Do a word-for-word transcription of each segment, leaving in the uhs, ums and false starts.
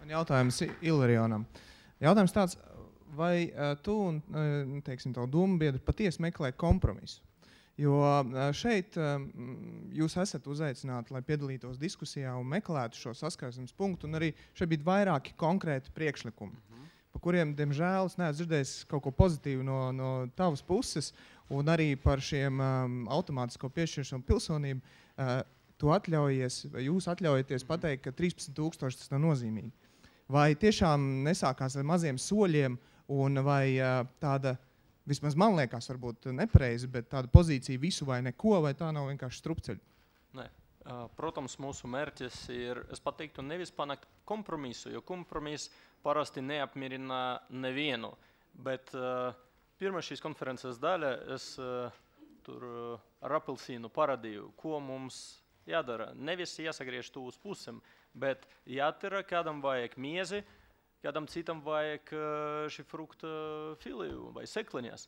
Jautājums Ilarionam. Jautājums tāds, vai tu un, teiksim, tavu domu biedri patiesi meklē kompromisu? Jo šeit jūs esat uzaicināti, lai piedalītos diskusijā un meklētu šo saskarsmes punktu, un arī šeit bija vairāki konkrēti priekšlikumi, mm-hmm. pa kuriem, diemžēl, es neesmu dzirdējis kaut ko pozitīvu no, no tavas puses, un arī par šiem um, automātisko piešķiršanu pilsonību. Uh, tu atļaujies, vai jūs atļaujaties pateikt, ka trīspadsmit tūkstoši tas nav nozīmīgi? Vai tiešām nesākās ar maziem soļiem, un vai uh, tāda, vismaz man liekas, varbūt nepareizi, bet tāda pozīcija visu vai neko, vai tā nav vienkārši strupceļa? Nē. Protams, mūsu mērķis ir, es pateiktu, nevis panākt kompromisu, jo kompromiss parasti neapmierina nevienu. Bet uh, pirmā šīs konferences daļa es uh, tur uh, ar apelsīnu parādīju, ko mums jādara. Nevis jāsagriež to uz pusēm, bet jātara, kādam vajag miezi, kādam citam vajag šī frukta filiju vai sekliņas.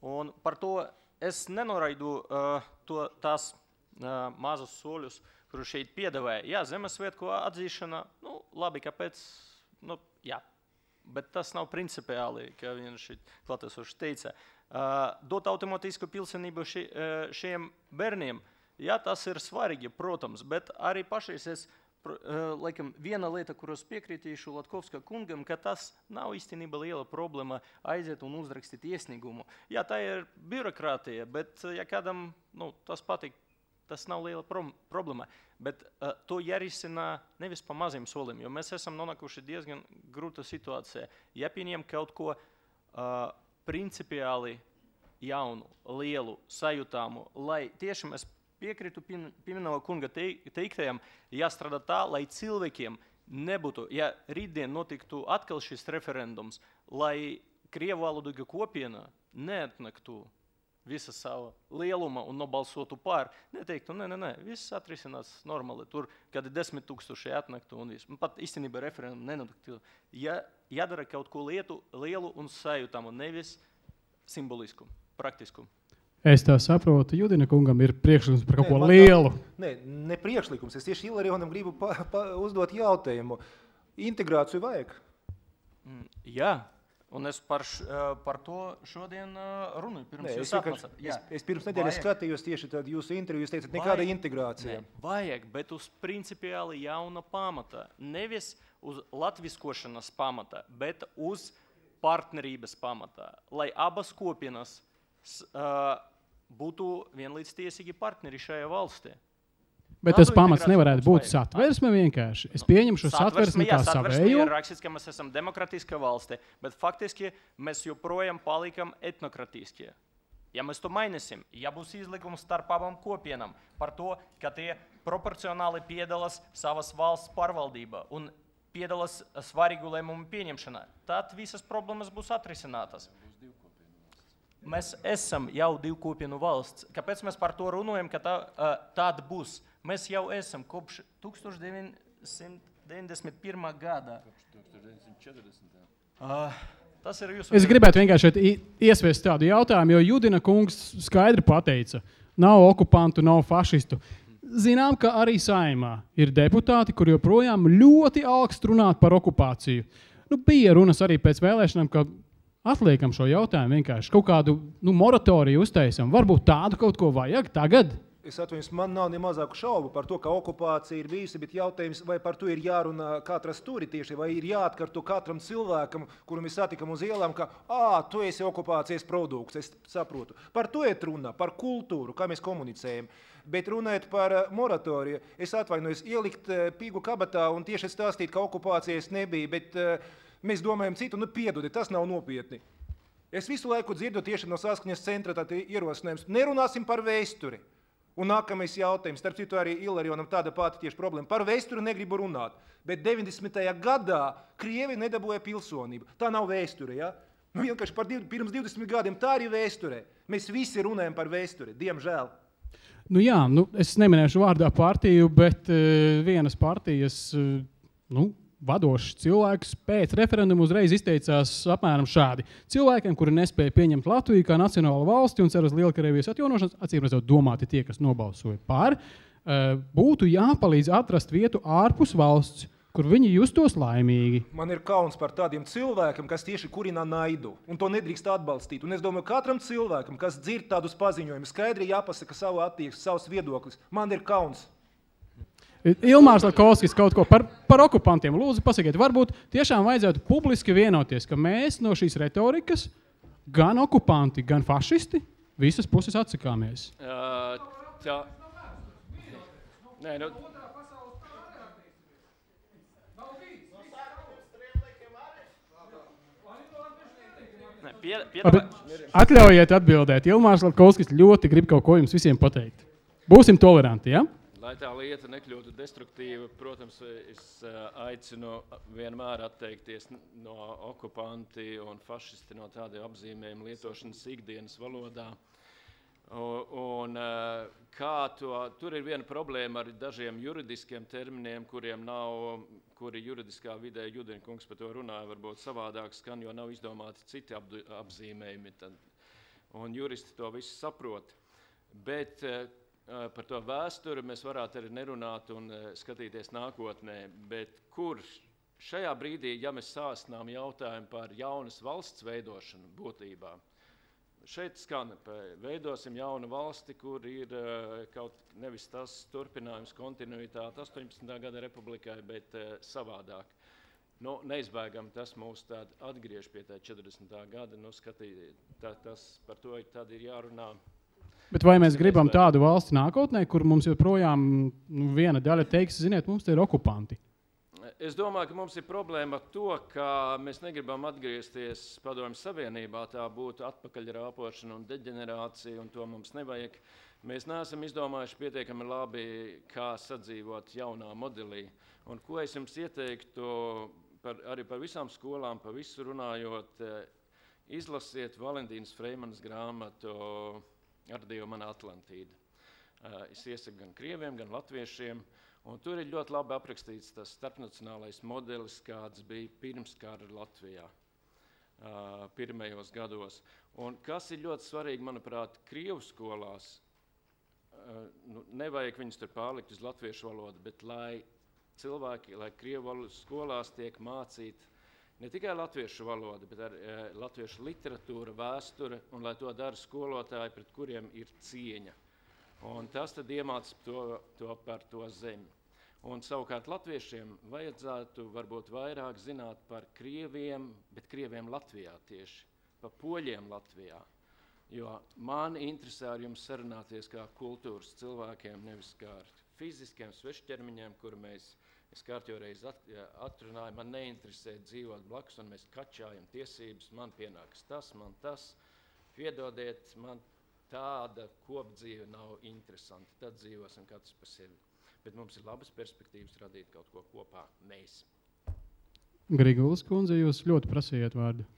Un par to es nenoraidu uh, to, tās uh, mazus soļus, kurus šeit piedāvāja. Jā, zemesvētku atzīšana, nu, labi, kāpēc, nu, jā. Bet tas nav principiāli, kā viens šeit klātesošs teica. Uh, dot automātisku pilsonību ši, uh, šiem bērniem, jā, tas ir svarīgi, protams, bet arī pašais es Laikam, viena lieta, kuros piekritīšu Latkovska kungam, ka tas nav īstenībā liela problēma aiziet un uzrakstīt iesniegumu. Jā, tā ir birokrātija, bet ja kādam nu, tas patīk, tas nav liela pro- problēma. Bet uh, to jārisina nevis pa maziem solim, jo mēs esam nonākuši diezgan grūta situācija. Ja pieņem kaut ko uh, principiāli jaunu, lielu, sajūtāmu, lai tieši mēs piekrītu Pimenova kunga teiktajam, jāstrādā tā, lai cilvēkiem nebūtu, ja rītdien notiktu atkal šis referendums, lai krievu valodīga kopiena neatnaktu visa sava lieluma un nobalsotu pār, neteiktu, nē, nē, nē, viss atrisinās normāli, tur kādi desmit tūkstoši atnaktu un viss. Pat īstenībā referendumu nenotiktu. Ja, jādara kaut ko lietu, lielu un sajūtamu, nevis simbolisku, praktisku. Es tā saprotu, Judina kungam ir priekšlikums par kaut Nē, ko lielu. Tā, nē, ne priekšlikums. Es tieši Ilarionam gribu pa, pa, uzdot jautājumu. Integrāciju vajag? Mm, jā, un es par, š, par to šodien runāju. Pirms nē, jūs es, atnācat. es, es pirms nedēļas skatījos tieši tad jūsu interviju, jūs teicat, nekāda vajag, integrācija. Ne, vajag, bet uz principiāli jauna pamata. Nevis uz latviskošanas pamata, bet uz partnerības pamata. Lai abas kopienas uh, būtu vienlīdz tiesīgi partneri šajā valstī. Bet tas pamats nevarētu būt satversme vienkārši. Es pieņemšu šo satversmi kā savēju. Satversme ir rakstīts, ka mēs esam demokratiska valsti, bet faktiski mēs joprojām palikam etnokratiskie. Ja mēs to mainīsim, ja būs izlikums starp abām kopienām par to, ka tie proporcionāli piedalās savas valsts pārvaldībā un piedalās svarīgu lēmumu pieņemšanā, tad visas problēmas būs atrisinātas. Mēs esam jau divu kopienu valsts. Kāpēc mēs par to runājam, ka tā, uh, tāda būs? Mēs jau esam kopš tūkstoš deviņsimt deviņdesmit pirmā gada. tūkstoš deviņsimt četrdesmitā. Uh, tas ir jūsu... Es gribētu vienkārši iesviest tādu jautājumu, jo Judina kungs skaidri pateica, nav okupantu, nav fašistu. Zinām, ka arī Saeimā ir deputāti, kur joprojām ļoti augst runāt par okupāciju. Nu, bija runas arī pēc vēlēšanām, ka atliekam šo jautājumu vienkārši. Kaut kādu nu, moratoriju uztaisam. Varbūt tādu kaut ko vajag tagad? Es atvainojos, man nav ne mazāku šaubu par to, ka okupācija ir bijusi, bet jautājums, vai par to ir jārunā katra stūri tieši, vai ir jāatkārto katram cilvēkam, kuru mēs satikam uz ielām, ka, ā, tu esi okupācijas produkts, es saprotu. Par to ir runa, par kultūru, kā mēs komunicējam. Bet runājot par moratoriju, es atvainojos, ielikt pīgu kabatā un tieši stāstīt, ka okupācijas nebija, bet mēs domājam citu, nu piedodi, tas nav nopietni. Es visu laiku dzirdu tieši no Saskaņas centra tādu ierosinājums, nerunāsim par vēsturi. Un nākamais jautājums, starp citu arī Ilarionam tāda pati tieši problēma. Par vēsturi negribu runāt, bet deviņdesmitajā gadā Krievi nedabūja pilsonību. Tā nav vēsture, ja? Nu, vienkārši par div, pirms divdesmit gadiem tā arī vēsture. Mēs visi runājam par vēsturi, diemžēl. Nu jā, nu, es neminēšu vārdā partiju, bet uh, vienas partijas uh, nu, vadošs cilvēks pēc referenduma uzreiz izteicās apmēram šādi. Cilvēkiem, kuri nespēja pieņemt Latviju kā nacionālu valsti un cer uz Lielkrievijas atjaunošanas, acīmredzot domāti tie, kas nobalsoja par, būtu jāpalīdz atrast vietu ārpus valsts, kur viņi justos laimīgi. Man ir kauns par tādiem cilvēkiem, kas tieši kurina naidu, un to nedrīkst atbalstīt. Un es domāju, katram cilvēkam, kas dzird tādus paziņojumus, skaidri jāpasaka savu attieksmi, savus viedoklis. Man ir kauns. Ilmārs Latkovskis kaut ko par, par okupantiem. Lūdzu, pasakiet, varbūt tiešām vajadzētu publiski vienoties, ka mēs no šīs retorikas gan okupanti, gan fašisti visas puses atsakāmies. Uh, tā... Nē, nu... Ne, pie, pie, Labi, atļaujiet atbildēt. Ilmārs Latkovskis ļoti grib kaut ko jums visiem pateikt. Būsim toleranti, ja? Lai tā lieta nekļūtu destruktīva, protams, es aicinu vienmēr atteikties no okupanti un fašisti no tādiem apzīmējumiem lietošanas ikdienas valodā. Un kā to, tur ir viena problēma ar dažiem juridiskiem terminiem, kuriem nav, kuri juridiskā vidē, Judiņkungs par to runāja, varbūt savādāk skan, jo nav izdomāti citi apzīmējumi. Un juristi to visu saprot. Bet par to vēsturi mēs varētu arī nerunāt un skatīties nākotnē, bet kur šajā brīdī, ja mēs sāstinām jautājumu par jaunas valsts veidošanu būtībā, šeit skan, veidosim jaunu valsti, kur ir kaut nevis tas turpinājums, kontinuitāte astoņpadsmitā gada republikai, bet savādāk. Nu, neizbēgam, tas mūs tād atgriež pie tā četrdesmitā gada, nu skatī, tā, tas par to tad ir jārunā. Bet vai mēs gribam tādu valsti nākotnē, kur mums joprojām nu, viena daļa teiks, ziniet, mums te ir okupanti? Es domāju, ka mums ir problēma ar to, ka mēs negribam atgriezties Padomju Savienībā, tā būtu atpakaļ rāpošana un deģenerācija, un to mums nevajag. Mēs neesam izdomājuši pietiekami labi, kā sadzīvot jaunā modelī. Un ko es jums ieteiktu, par, arī par visām skolām, par visu runājot, izlasiet Valentīnas Freimanas grāmatu Ar Dievu mana Atlantīda. Es iesaku gan krieviem, gan latviešiem. Un tur ir ļoti labi aprakstīts tas starpnacionālais modelis, kāds bija pirms kara Latvijā, pirmajos gados. Un kas ir ļoti svarīgi, manuprāt, Krievu skolās, nu, nevajag viņus tur pārlikt uz latviešu valodu, bet lai cilvēki, lai Krievu skolās tiek mācīt ne tikai latviešu valoda, bet arī e, latviešu literatūra, vēsture, un lai to dara skolotāji, pret kuriem ir cieņa. Un tas tad iemāc to, to par to zemi. Un savukārt latviešiem vajadzētu varbūt vairāk zināt par krieviem, bet krieviem Latvijā tieši, par poļiem Latvijā. Jo man interesē ar jums sarunāties kā kultūras cilvēkiem, nevis kā ar fiziskiem svešķermiņiem, kur mēs Es kārtjo reiz at, atrunāju, man neinteresē dzīvot blakus, un mēs kačājam tiesības, man pienāks tas, man tas. Piedodiet, man tāda kopdzīve nav interesanta, tad dzīvosim katrs par sevi. Bet mums ir labas perspektīvas radīt kaut ko kopā, mēs. Grigulis kundze, jūs ļoti prasījāt vārdu.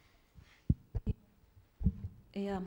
Jā.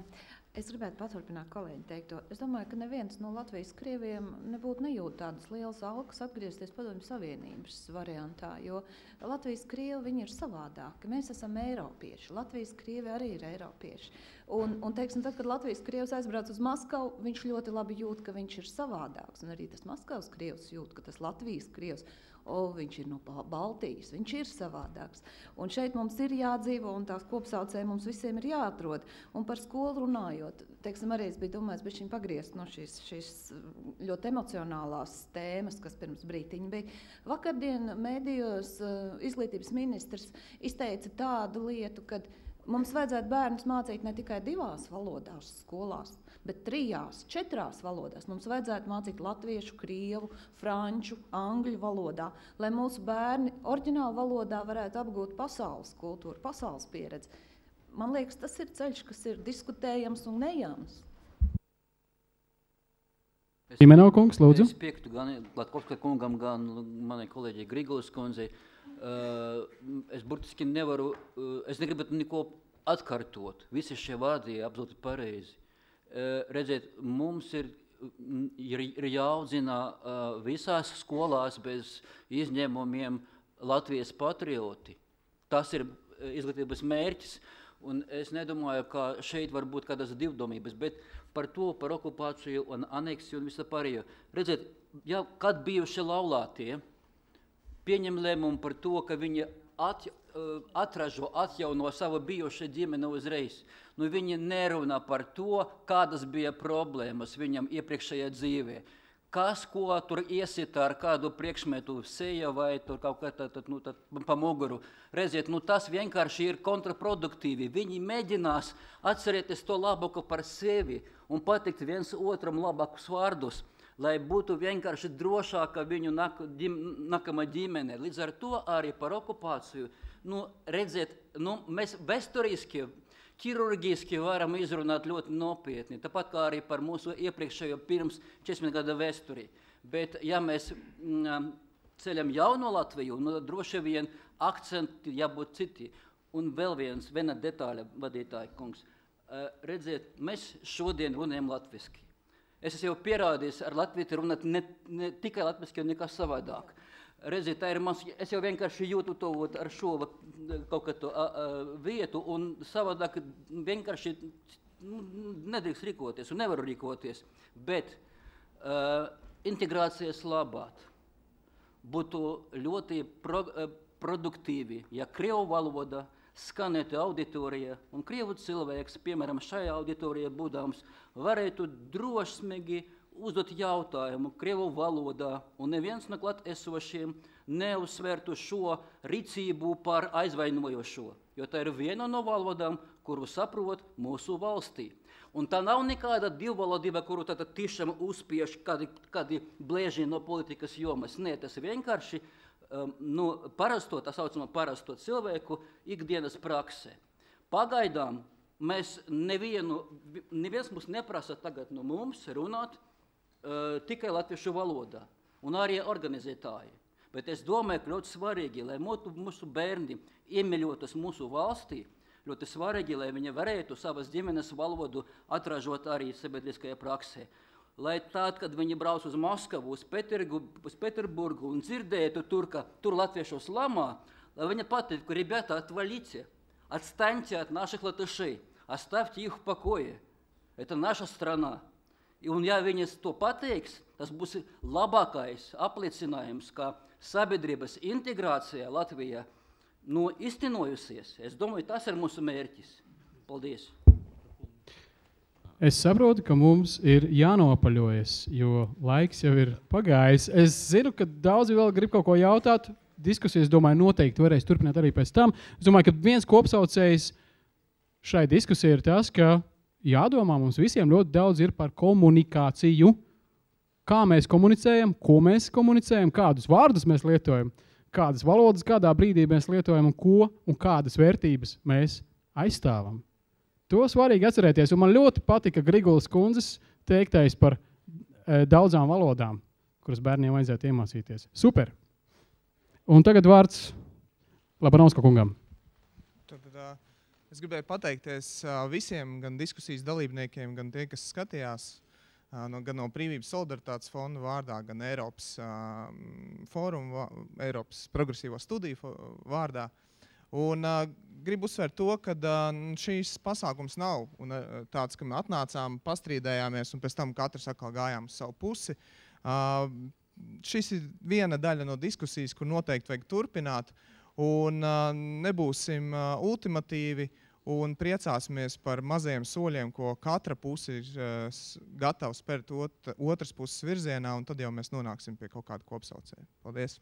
Es gribētu paturpināt kolēģi teikto. Es domāju, ka neviens no Latvijas krieviem nebūtu nejūt tādas lielas alkas atgriezties Padomju Savienības variantā, jo Latvijas krievi viņi ir savādāki. Mēs esam eiropieši. Latvijas krievi arī ir eiropieši. Un, un teiksim, tad, kad Latvijas krievs aizbrauc uz Maskavu, viņš ļoti labi jūt, ka viņš ir savādāks. Un arī tas Maskavas krievs jūt, ka tas Latvijas krievs, o, viņš ir no Baltijas, viņš ir savādāks. Un šeit mums ir jādzīvo, un tās kopsaucēji mums visiem ir jāatrod. Un par skolu runājot, teiksim, arī es biju domājis bišķiņ pagriezt no šīs, šīs ļoti emocionālās tēmas, kas pirms brītiņa bija. Vakardien mēdījos izglītības ministrs izteica tādu lietu, kad mums vajadzētu bērnus mācīt ne tikai divās valodās skolās, bet trijās, četrās valodās. Mums vajadzētu mācīt latviešu, krievu, franču, angļu valodā, lai mūsu bērni oriģināla valodā varētu apgūt pasaules kultūru, pasaules pieredzi. Man liekas, tas ir ceļš, kas ir diskutējams un nejams. Imenau kungs, lūdzu. Es piektu gan Latkovska kungam, gan manai kolēģei Grigulis kundzei. Uh, es burtiski nevaru, uh, es negribētu neko atkartot. Visi šie vārdi ir absolūti pareizi. Uh, redziet, mums ir, ir, ir jāaudzina uh, visās skolās bez izņēmumiem Latvijas patrioti. Tas ir izglītības mērķis. Un es nedomāju, ka šeit var būt kādas divdomības, bet par to, par okupāciju un aneksiju un visu pārējo. Redziet, ja, kad bijuši laulātie, pieņem lēmumu par to, ka viņi at, atražo, atjauno savu bijušo ģimeni uzreiz. Nu, viņi nerunā par to, kādas bija problēmas viņam iepriekšējā dzīvē. Kas, ko tur iesita ar kādu priekšmetu seja vai tur kaut kā tā, tā, nu, tā, pa muguru. Redziet, nu, tas vienkārši ir kontraproduktīvi. Viņi mēģinās atcerēties to labāko par sevi un pateikt viens otram labākus vārdus, lai būtu vienkārši drošāka viņu nak, ģim, nākamā ģimene. Līdz ar to arī par okupāciju. Nu, redziet, nu, mēs vēsturiski, ķirurģiski varam izrunāt ļoti nopietni, tāpat kā arī par mūsu iepriekšējo pirms četrdesmit gada vēsturi. Bet, ja mēs mm, ceļam jauno Latviju, nu, droši vien akcenti jābūt citi. Un vēl viens, viena detaļa, vadītāji kungs. Uh, redziet, mēs šodien runājam latviski. Es esmu jau pierādījis ar latviešu runāt ne, ne tikai latviski, jo nekas savādāk. Redziet, tā ir mans, es jau vienkārši jūtu to ar šo kaut kādu vietu un savādāk vienkārši nu, nedrīkst rīkoties un nevaru rīkoties. Bet uh, integrācijas labāt būtu ļoti pro, uh, produktīvi, ja krievu valoda skanētu auditorija un krievu cilvēks, piemēram, šajā auditorijā būdams, varētu drošsmīgi uzdot jautājumu krievu valodā, un neviens no klāt esošiem neuzsvērtu šo rīcību par aizvainojošo, jo tā ir viena no valodām, kuru saprot mūsu valstī. Un tā nav nekāda divvalodība, kuru tātad tiešām uzspiež kādi, kādi blēži no politikas jomas. Nē, tas vienkārši um, nu, parasto, tā saucamā parasto cilvēku ikdienas praksē. Pagaidām mēs nevienu, neviens mums neprasa tagad no mums runāt Uh, tikai latviešu valodā, un arī organizētāji. Bet es domāju, ka ļoti svarīgi, lai mūsu, mūsu bērni iemīļotas mūsu valstī, ļoti svarīgi, lai viņi varētu savas ģimenes valodu atražot arī sabiedriskajā praksē. Lai tad, kad viņi brauc uz Maskavu, uz, Petergu, uz Peterburgu un dzirdētu tur, ka tur latviešos lamā, lai viņi pateiktu, ka, ребята, отвалите, отстаньте от наших латышей, оставьте их в покое. Это наша страна. Un ja viņas to pateiks, tas būs labākais apliecinājums, ka sabiedrības integrācija Latvijā nu, iztenojusies. Es domāju, tas ir mūsu mērķis. Paldies. Es saprotu, ka mums ir jānopaļojas, jo laiks jau ir pagājis. Es zinu, ka daudzi vēl grib kaut ko jautāt. Diskusijas, domāju, noteikti varēs turpināt arī pēc tam. Es domāju, ka viens kopsaucējs šai diskusijai ir tas, ka jādomā mums visiem ļoti daudz ir par komunikāciju. Kā mēs komunicējam, ko mēs komunicējam, kādus vārdus mēs lietojam, kādas valodas kādā brīdī mēs lietojam un ko un kādas vērtības mēs aizstāvam. To svarīgi atcerēties, un man ļoti patika Grigulas kundzes teiktais par e, daudzām valodām, kuras bērniem vajadzētu iemācīties. Super! Un tagad vārds Labanovska kungam. Tad, uh... Es gribēju pateikties visiem, gan diskusijas dalībniekiem, gan tie, kas skatījās, gan no Brīvības solidaritātes fonda vārdā, gan Eiropas fórumu, Eiropas progresīvo studiju vārdā. Un gribu uzsvērt to, ka šīs pasākums nav un tāds, ka mēs atnācām, pastrīdējāmies un pēc tam katrs atkal gājām uz savu pusi. Šis ir viena daļa no diskusijas, kur noteikti vajag turpināt, un nebūsim ultimatīvi, un priecāsimies par mazajiem soļiem, ko katra puse ir uh, gatava spērt ot, otras puses virzienā, un tad jau mēs nonāksim pie kaut kāda kopsaucēja. Paldies!